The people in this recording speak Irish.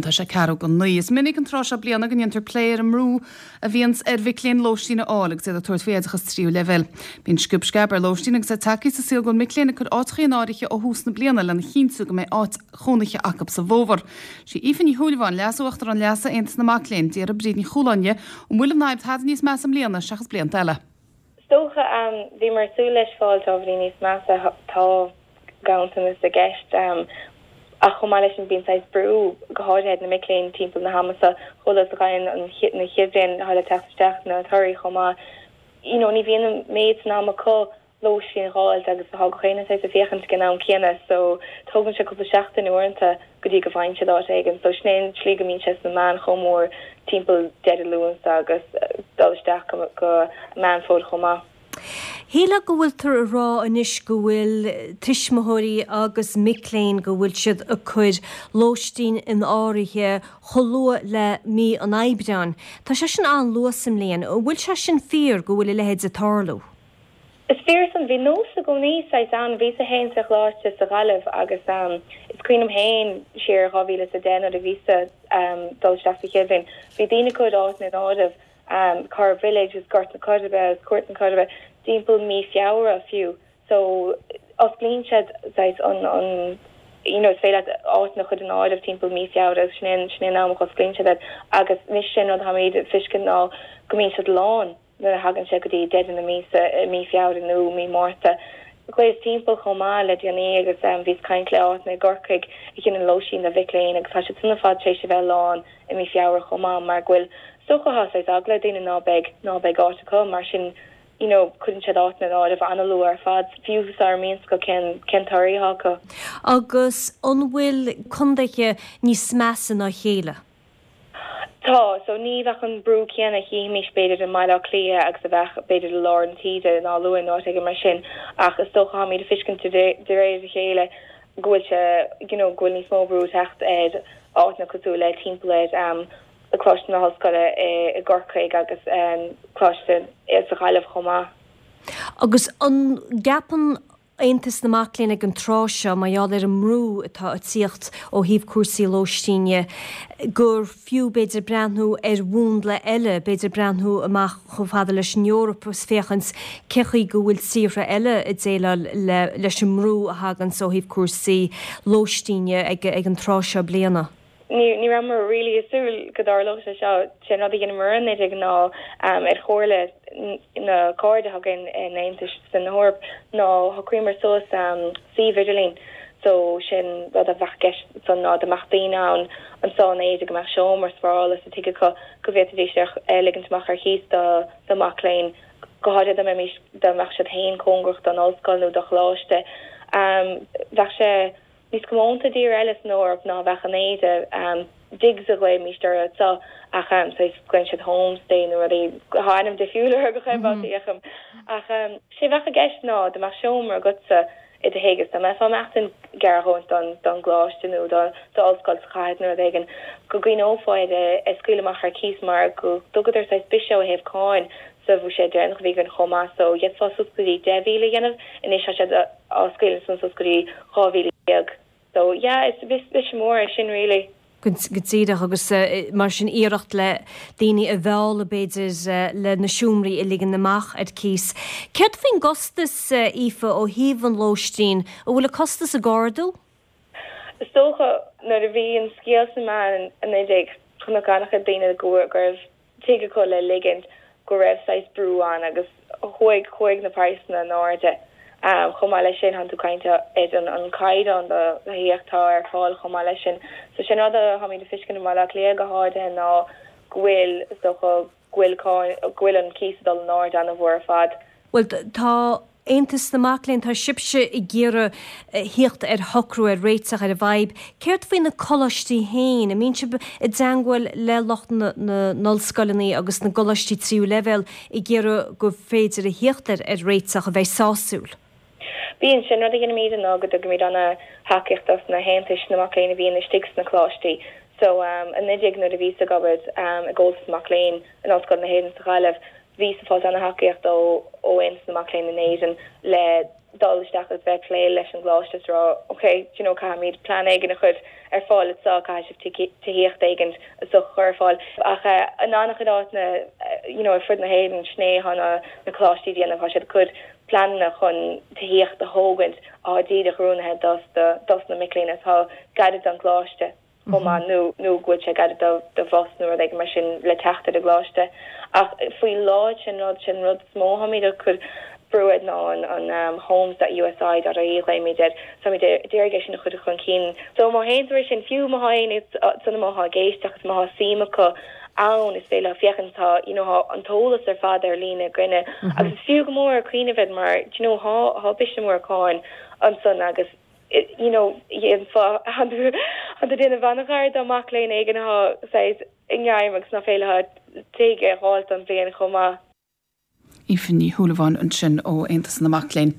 Tá sé ceathrú go 9. Is minic an tráth seo bliana go ndéantar plé ar an mbrú a bhíonns ar mhic léinn lóistín a fháil agus iad ag tabhairt faoi oideachas tríú leibhéal. Bíonn sciob sceab ar lóistín agus é tagtha sa saol go bhfuil mic léinn ag cur áiteachaí in áirithe ó thús na bliana lena chinntiú go mbeidh áit chónaithe acu sa bhfómhar. Sí Aoife Ní Shúilleabháin, Leas-Uachtarán Leasa Aontas na Mac Léinn, d'fhiafraigh Bríd Ní Chualáin di an bhfuil an fhadhb tada níos measa i mbliana seachas blianta eile. Is dócha, bhíomar ag súil leis fáil ábhairín níos measa, tá ganntanas i gceist ach chomh maith leis sin bíonn saghas brú, go háirithe ar na mic léinn timpeall na hama seo, chomh luath is a ghaibheann an na chéad bhliain atá le teacht isteach na torthaí chomh maith, you know ní bhíonn an méid san am acu lóistín a dh'fháilt agus tá gach éinne saghas ag féachaint ag an am céanna so tógann sé cúpla seachtain uaireanta go dtí go bhfaigheann siad áit éigin so sin é an tslí go mbíonn sé sna meáin chomh mór timpeall deireadh Lúnasa agus dul isteach go go Meán Fómhair chomh maith. Shílfeá go bhfuiltear ag rá anois go bhfuil tuismitheoirí agus mic léinn go bhfuil siad ag cur lóistín in áirithe chomh luath le mí an Aibreáin. Tá sé sin an-luath sa mbliain. An bhfuil sé sin fíor go bhfuil a leithéid ag tarlú? Is fíor san. Bhí nós i gcónaí saghas ann. Bhíos-sa fhéin sa choláiste sa Ghaillimh agus is cuimhin liom fhéin siar 2010 nuair a bhíos-sa dul isteach sa chéad bhliain, bhí daoine ag cur áiteanna in áirithe, Corrib Village agus Gort na Coiribe agus Cúirt na Coiribe timpeall mí Feabhra fiú. So osclaíonn siad saghas an, an you know is féidir leat áiteanna a chur in áirithe timpeall mí Feabhra agus sin é, sin é an am a osclaíonn siad iad agus anois sin rud atáimid ag feiscint ná go mbíonn siad lán. nuair a thagann sé go dtí deireadh na míosa i mí Feabhra nó mí Márta. Ghlaos timpeall chomh maith le déanaí agus bhíos caint le áiteanna i gCorcaigh a dhéanann lóistín do mhic léinn agus tá siad san ar fad tar éis a bheith lán i mí Feabhra chomh maith mar go bhfuil is dócha tá saghas eagla ar daoine ná beidh ná beidh áit acu mar sin you know cuireann siad áiteanna in áirithe an-luath ar fad fiú sara mbíonn 's acu cén cén toradh atá acu. Agus an bhfuil contaetha níos measa ná a chéile? Tá, so ní bheadh an brú céanna a chífimis b'fhéidir i mBaile Átha Cliath agus a bheadh b'fhéidir i lár na tíre ná Luain nó áit éigin mar sin ach is dócha táimid ag feiscint de réir a chéile go bhfuil sé you know go bhfuil níos mó brú ag teacht ar áiteanna cosúil le timpeall ar Coláiste na hOllscoile i gCorcaigh agus Coláiste sa Ghaillimh chomh maith. Agus an gceapann Aontas na Mac Léinn ag an tráth seo, mar gheall ar an mbrú atá ag tíocht ó thaobh cúrsaí lóistíne, gur fiú b'fhéidir breathnú ar mhúnla eile, b'fhéidir breathnú amach chomh fada leis an Eoraip agus féachaint cé chaoi go bhfuil tíortha eile ag déileáil leis an mbrú a thaganns ó thaobh cúrsaí lóistíne ag an tráth seo bliana. Ní rabhamar really ag súil go dtarlódh sé seo. Sé an rud a dheineamar anuraidh ná ar chomhairle na cairde atá againn in Aontas na hEorpa ná shocraíomar suas suíomh idirlín. So sin rud a bheadh i gceist ansan ná dá mbeadh daoine ann anso in Éirinn go mbeadh seomra spárála sa tigh acu go bhféadfaidís é a ligint amach ar chíos do mhac léinn, go háirithe dá mbeimis dá mbeadh siad féin cóngarach don ollscoil nó do choláiste. Bheadh sé. Níos comónta i dtír eile san Eoraip ná a bheadh in Éirinn. Digs a ghlaoimíst orthu anso ach saghas glaonn siad homestay nó rudaí, tá ainm difriúil orthu go fhéachaim. Ach sé bheadh i gceist ná dá mbeadh seomra agatsa i do thigh is dá mbeifeá ag maireachtaint gar a dhóthain don gcoláiste nó d'ollscoil sa chathair nó rud éigin, go gcuimhneofá ar é a scaoileadh amach ar cíos mar go dtugadar saghas biseach ó thaobh cáin sa bhuiséad deireanach a bhí againn chomh maith so d'fhéadfá suas go dtí 10,000 a dhéanamh, anois tá siad á scaoileadh ansan suas go dtí 12,000. So yeah, is biseach mór é sin really. Go díreach, agus mar sin iarracht le daoine a mhealladh b'fhéidir le na seomraí a ligean amach ar cíos. Céard faoin gcostas, Aoife, ó thaobh an lóistín? An bhfuil an costas ag ardú? Is dócha nuair a bhí an scéal sna meáin anuraidh chonac an-chuid daoine go raibh tigh acu le ligint go raibh saghas brú ann agus chuaigh, chuaigh na praghsanna in airde. Chomh maith leis sin, tánn tú ag caint ar an an caighdeán do thithíocht atá ar fáil chomh maith leis sin. So sin rud a tháimid ag feiscint i mBaile Átha Cliath go háirithe ná go bhfuil, is dócha, go bhfuil cáin, go bhfuil an cíos ag dul in airde an-mhór ar fad. Bhuel, tá Aontas na Mac Léinn, tá sibhse ag iarraidh thíocht ar shocrú, ar réiteach ar an bhfadhb. Céard faoi na coláistí féin? An mbíonn sibh i dteangmháil le lucht na n-ollscoileanna agus na gcoláistí tríú leibhéal ag iarraidh gur féidir a thíocht ar réiteach a bheidh sásúil? Bíonn. Sin rud a dheinimid ná go dtugaimid ana-thacaíocht dos na haontais na mac léinn a bhíonn istigh sna coláistí. So, anuraidh nuair a bhíos ag obair i gComhaltas Mac Léinn in Ollscoil na hÉireann sa Ghaillimh. Bhíos ag fáilt ana-thacaíocht ó Aontas na Mac Léinn in Éirinn le dul isteach agus bheith ag plé leis an gcoláiste is rá ok, do you know, caithfimid plean éigin a chur ar fáil anseo, caithfidh sibh tithíocht éigin is dócha a chur ar fáil. Ach in an-chuid áiteanna you know ar fud na hÉireann, sin é atá na na coláistí ag déanamh, tá siad ag cur pleananna chun tithíocht a thógaint atá díreach oiriúnaithe dos dos na mic léinn atá gairid don gcoláiste. chomh maith nó nó go bhfuil sé gairid do do bhus nó rud éigin mar sin le teacht ar an gcoláiste. Ach faoi láthair sin rud sin rud is mó táimid ag cur brú air ná an an homes dot usi dot ie glaoimid air. Táimid ag iarraidh é sin a chur chun cinn. So má théann tú ar sin fiú má tá éinne ansan má tá ag éisteacht agus má tá suim acu ann is féidir leo féachaint tá you know tá an t-eolas ar fad ar líne againne agus is fiú go mór cuimhneamh air mar do you know tá tá biseach mór cáin ansan agus you know, dhéanfá, tá tú ag déanamh an-ghar do mac léinn éigin atá saghas i ngreim agus nach féidir leo tigh a fháilt don bhliain chomh maith. Aoife Ní Shúilleabháin ansin ó Aontas na Mac Léinn.